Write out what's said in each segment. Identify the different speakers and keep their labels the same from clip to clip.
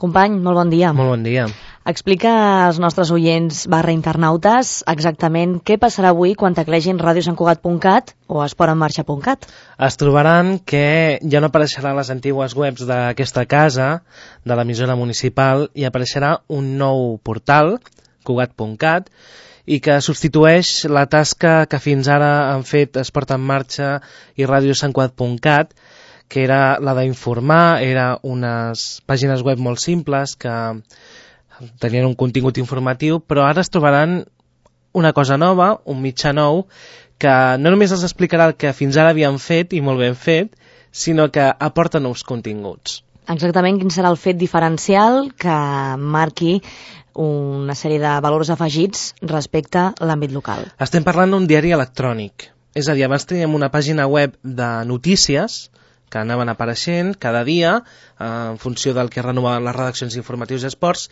Speaker 1: Company, molt bon dia.
Speaker 2: Molt bon dia.
Speaker 1: Explica als nostres oients /internautes exactament què passarà avui quan teclegin radiosantcugat.cat o esportenmarxa.cat.
Speaker 2: Es trobaran que ja no apareixeran les antigues webs d'aquesta casa, de l'emissora municipal, i apareixerà un nou portal, cugat.cat, i que substitueix la tasca que fins ara han fet Esport en Marxa i radiosantcugat.cat, que era la d'informar, era unes pàgines web molt simples que tenien un contingut informatiu, però ara es trobaran una cosa nova, un mitjà nou, que no només els explicarà el que fins ara havien fet, i molt ben fet, sinó que aporta nous continguts.
Speaker 1: Exactament quin serà el fet diferencial que marqui una sèrie de valors afegits respecte a l'àmbit local.
Speaker 2: Estem parlant d'un diari electrònic, és a dir, abans teníem una pàgina web de notícies que anaven apareixent cada dia en funció del que renovaven les redaccions informatius i esports,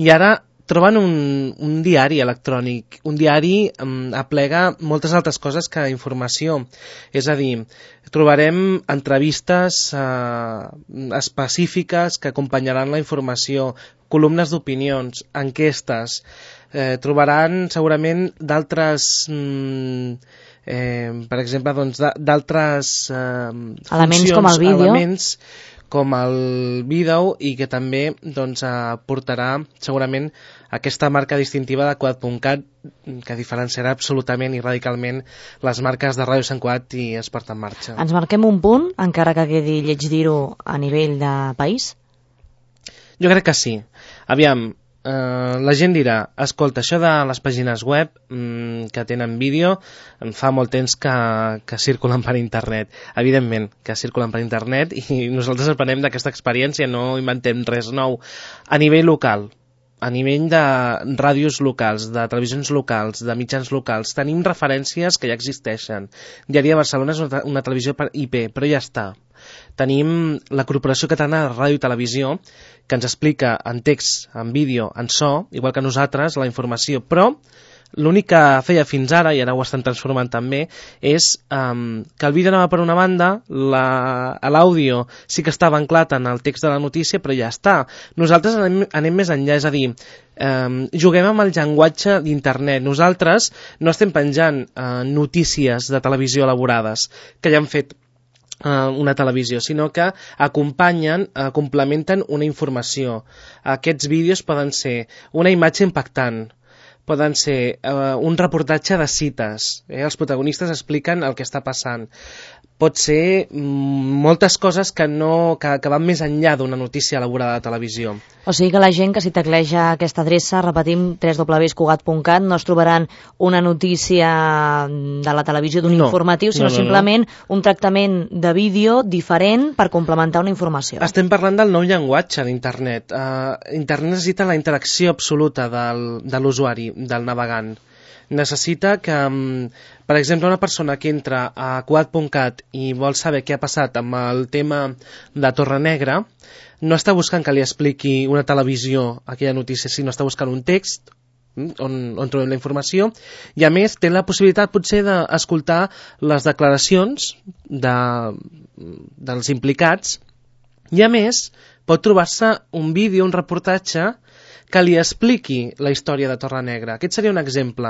Speaker 2: i ara troben un diari electrònic. Un diari aplega moltes altres coses que informació. És a dir, trobarem entrevistes específiques que acompanyaran la informació, columnes d'opinions, enquestes. Trobaran segurament d'altres... per exemple, doncs, d'altres
Speaker 1: elements com el vídeo,
Speaker 2: com el vídeo, i que també doncs, portarà segurament aquesta marca distintiva de Cugat.cat, que diferenciarà absolutament i radicalment les marques de Ràdio Sant Cugat i Esport en Marxa.
Speaker 1: Ens marquem un punt, encara que quedi lleig dir-ho a nivell de país?
Speaker 2: Jo crec que sí. Aviam, la gent dirà, escolta, això de les pàgines web que tenen vídeo fa molt temps que circulen per internet. Evidentment que circulen per internet, i nosaltres aprenem d'aquesta experiència, no inventem res nou. A nivell local, a nivell de ràdios locals, de televisions locals, de mitjans locals, tenim referències que ja existeixen. Diari de Barcelona és una televisió per IP, però ja està. Tenim la Corporació Catalana de Ràdio i Televisió, que ens explica en text, en vídeo, en so, igual que nosaltres, la informació, però l'únic que feia fins ara, i ara ho estan transformant també, és que el vídeo anava per una banda, l'àudio sí que estava anclat en el text de la notícia, però ja està. Nosaltres anem més enllà, és a dir, juguem amb el llenguatge d'internet. Nosaltres no estem penjant notícies de televisió elaborades, que ja han fet una televisió, sinó que acompanyen, complementen una informació. Aquests vídeos poden ser una imatge impactant, poden ser un reportatge de cites, els protagonistes expliquen el que està passant. Pot ser moltes coses que van més enllà d'una notícia elaborada de televisió.
Speaker 1: O sigui que la gent que si tecleja aquesta adreça, repetim, www.cugat.cat, no es trobaran una notícia de la televisió d'un informatiu, sinó simplement un tractament de vídeo diferent per complementar una informació.
Speaker 2: Estem parlant del nou llenguatge d'internet. Internet necessita la interacció absoluta de l'usuari, del navegant. Necessita que, per exemple, una persona que entra a Cugat.cat i vol saber què ha passat amb el tema de Torrenegra, no està buscant que li expliqui una televisió aquella notícia, sinó està buscant un text on trobem la informació, i a més té la possibilitat potser d'escoltar les declaracions dels implicats, i a més pot trobar-se un vídeo, un reportatge que li expliqui la història de Torrenegra. Aquest seria un exemple.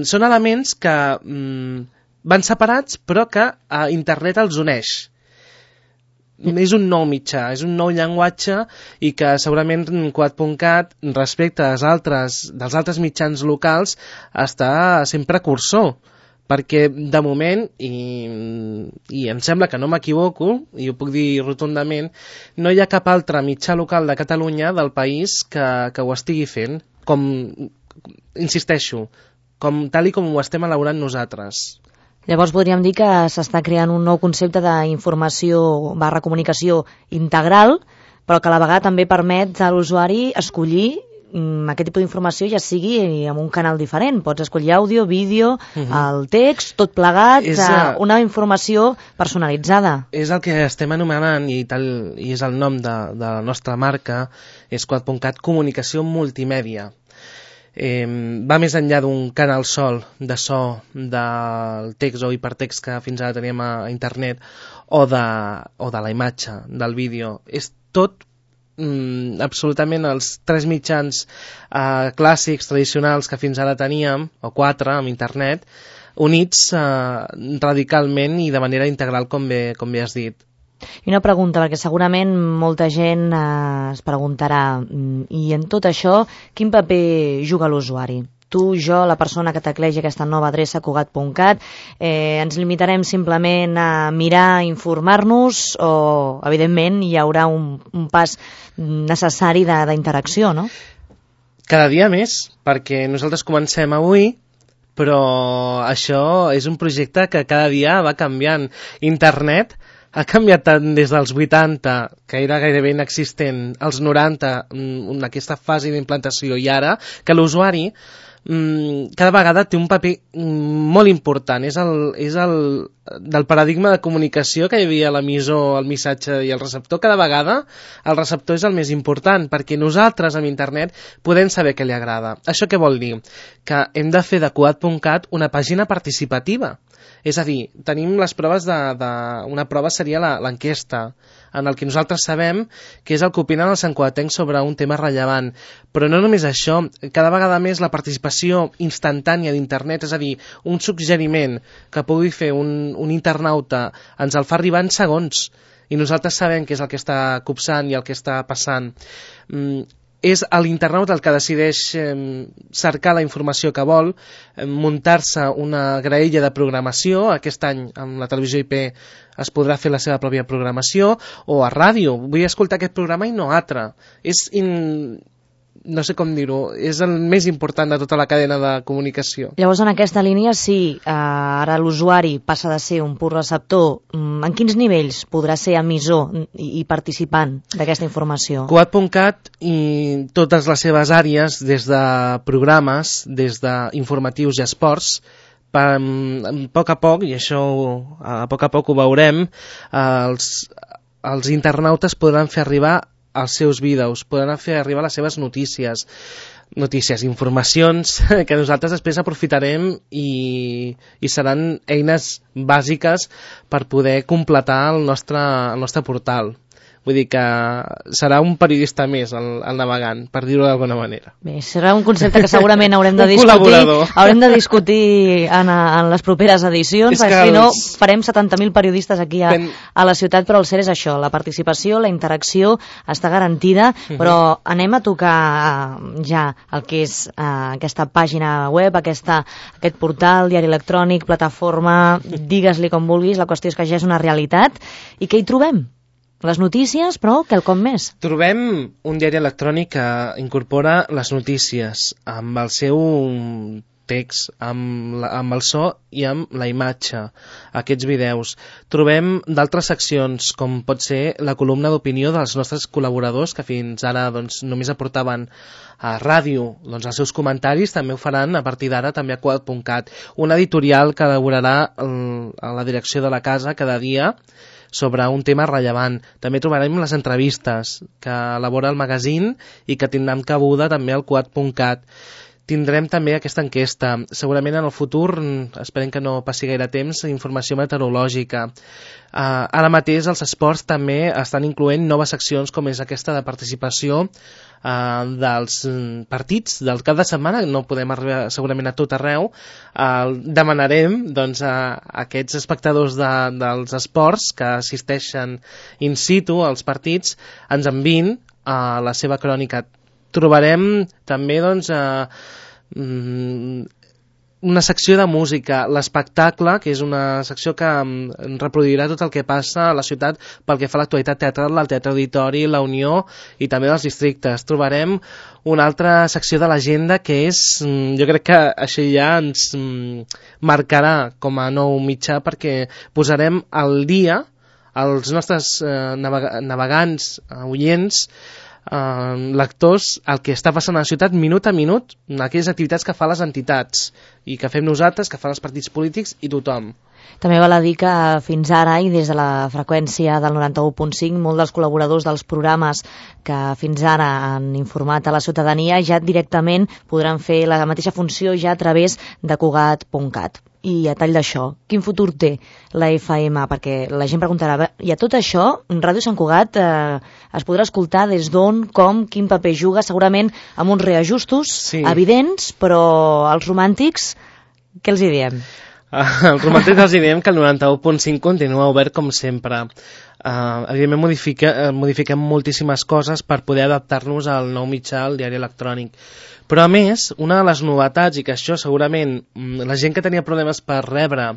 Speaker 2: Són elements que van separats, però que a internet els uneix. És un nou mitjà, és un nou llenguatge, i que segurament Cugat.cat, respecte dels altres mitjans locals, està sent precursor, perquè de moment, i em sembla que no m'equivoco, i ho puc dir rotundament, no hi ha cap altre mitjà local de Catalunya, del país, que ho estigui fent, insisteixo, tal com ho estem elaborant nosaltres.
Speaker 1: Llavors podríem dir que s'està creant un nou concepte d'informació / comunicació integral, però que a la vegada també permet a l'usuari escollir aquest tipus d'informació, ja sigui en un canal diferent. Pots escollir àudio, vídeo, el text, tot plegat, una informació personalitzada.
Speaker 2: És el que estem anomenant, i és el nom de la nostra marca, és Cugat.cat, comunicació multimèdia. Va més enllà d'un canal sol de so, del text o hipertext que fins ara teníem a internet, o de la imatge, del vídeo. És tot absolutament els 3 mitjans clàssics, tradicionals que fins ara teníem, o 4 amb internet, units radicalment i de manera integral, com bé has dit.
Speaker 1: I una pregunta, perquè segurament molta gent es preguntarà, i en tot això, quin paper juga l'usuari? Tu, jo, la persona que tecleja aquesta nova adreça cugat.cat, ens limitarem simplement a mirar, informar-nos, o, evidentment, hi haurà un pas necessari d'interacció, no?
Speaker 2: Cada dia més, perquè nosaltres comencem avui, però això és un projecte que cada dia va canviant. Internet ha canviat tant des dels 80, que era gairebé inexistent, als 90, en aquesta fase d'implantació, i ara, que l'usuari cada vegada té un paper molt important. És del paradigma de comunicació que hi havia l'emissor, el missatge i el receptor. Cada vegada el receptor és el més important, perquè nosaltres amb internet podem saber què li agrada. Això què vol dir? Que hem de fer de cugat.cat una pàgina participativa. És a dir, tenim les proves una prova seria l'enquesta, en el que nosaltres sabem que és el que opinen els santcugatencs sobre un tema rellevant. Però no només això, cada vegada més la participació instantània d'internet, és a dir, un suggeriment que pugui fer un internauta, ens el fa arribar en segons, i nosaltres sabem què és el que està copsant i el que està passant. És l'internauta el que decideix cercar la informació que vol, muntar-se una graella de programació. Aquest any amb la televisió IP es podrà fer la seva pròpia programació, o a ràdio, vull escoltar aquest programa i no altre. No sé com dir-ho, és el més important de tota la cadena de comunicació.
Speaker 1: Llavors, en aquesta línia, sí, ara l'usuari passa de ser un pur receptor. En quins nivells podrà ser emissor i participant d'aquesta informació?
Speaker 2: Cugat.cat i totes les seves àrees, des de programes, des d'informatius i esports, a poc a poc, i això a poc ho veurem, els internautes podran fer arribar els seus vídeos, podran fer arribar les seves notícies, informacions que nosaltres després aprofitarem i seran eines bàsiques per poder completar el nostre portal. Vull dir que serà un periodista més el navegant, per dir-ho d'alguna manera.
Speaker 1: Bé, serà un concepte que segurament haurem de discutir en les properes edicions, perquè si no farem 70.000 periodistes aquí a la ciutat, però el cert és això, la participació, la interacció està garantida, però anem a tocar ja el que és aquesta pàgina web, aquest portal, diari electrònic, plataforma, digues-li com vulguis, la qüestió és que ja és una realitat, i què hi trobem? Les notícies, però quelcom més.
Speaker 2: Trobem un diari electrònic que incorpora les notícies amb el seu text, amb el so i amb la imatge, aquests vídeos. Trobem d'altres seccions, com pot ser la columna d'opinió dels nostres col·laboradors, que fins ara només aportaven a ràdio els seus comentaris, també ho faran a partir d'ara també a cugat.cat. Un editorial que elaborarà a la direcció de la casa cada dia sobre un tema rellevant. També trobarem les entrevistes que elabora el magazín i que tindran cabuda també al cugat.cat. Tindrem també aquesta enquesta. Segurament en el futur, esperem que no passi gaire temps, informació meteorològica. Ara mateix els esports també estan incloent noves seccions com és aquesta de participació dels partits del cap de setmana. No podem arribar segurament a tot arreu. Demanarem a aquests espectadors dels esports que assisteixen in situ als partits ens enviïn la seva crònica. Trobarem també una secció de música, l'espectacle, que és una secció que reproduirà tot el que passa a la ciutat pel que fa a l'actualitat teatral, al Teatre Auditori, la Unió i també dels districtes. Trobarem una altra secció de l'agenda que és, jo crec que això ja ens marcarà com a nou mitjà, perquè posarem al dia els nostres navegants, oients, lectors, el que està passant a la ciutat minut a minut, aquelles activitats que fan les entitats i que fem nosaltres, que fan els partits polítics i tothom.
Speaker 1: També val a dir que fins ara i des de la freqüència del 91.5 molts dels col·laboradors dels programes que fins ara han informat a la ciutadania ja directament podran fer la mateixa funció ja a través de Cugat.cat. I a tall d'això, quin futur té la FM? Perquè la gent preguntarà, i a tot això, Ràdio Sant Cugat es podrà escoltar des d'on, com, quin paper juga, segurament amb uns reajustos evidents, però els romàntics, què els hi diem?
Speaker 2: Els romàntics els diem que el 91.5 continua obert com sempre. Evidentment modifiquem moltíssimes coses per poder adaptar-nos al nou mitjà, al diari electrònic. Però a més, una de les novetats, i que això segurament la gent que tenia problemes per rebre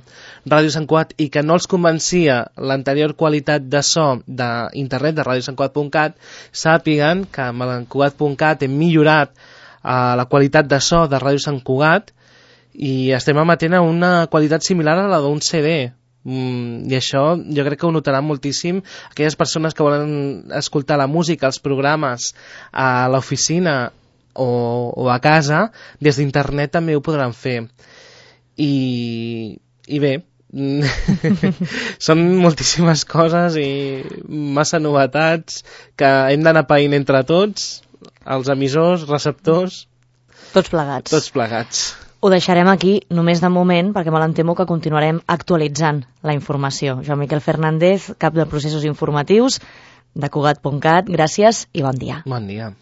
Speaker 2: Ràdio Sant Cugat i que no els convencia l'anterior qualitat de so d'internet de radiosantcugat.cat, sàpiguen que amb el Cugat.cat hem millorat la qualitat de so de Ràdio Sant Cugat i estem emetent a una qualitat similar a la d'un CD. I això jo crec que ho notaran moltíssim aquelles persones que volen escoltar la música, els programes a l'oficina o a casa, des d'internet també ho podran fer. I bé, són moltíssimes coses i massa novetats que hem d'anar païnt entre tots, els emissors, receptors,
Speaker 1: tots plegats.
Speaker 2: Tots plegats.
Speaker 1: Ho deixarem aquí, només de moment, perquè me l'entemo que continuarem actualitzant la informació. Joan Miquel Fernández, cap de processos informatius de Cugat.cat, gràcies i bon dia.
Speaker 2: Bon dia.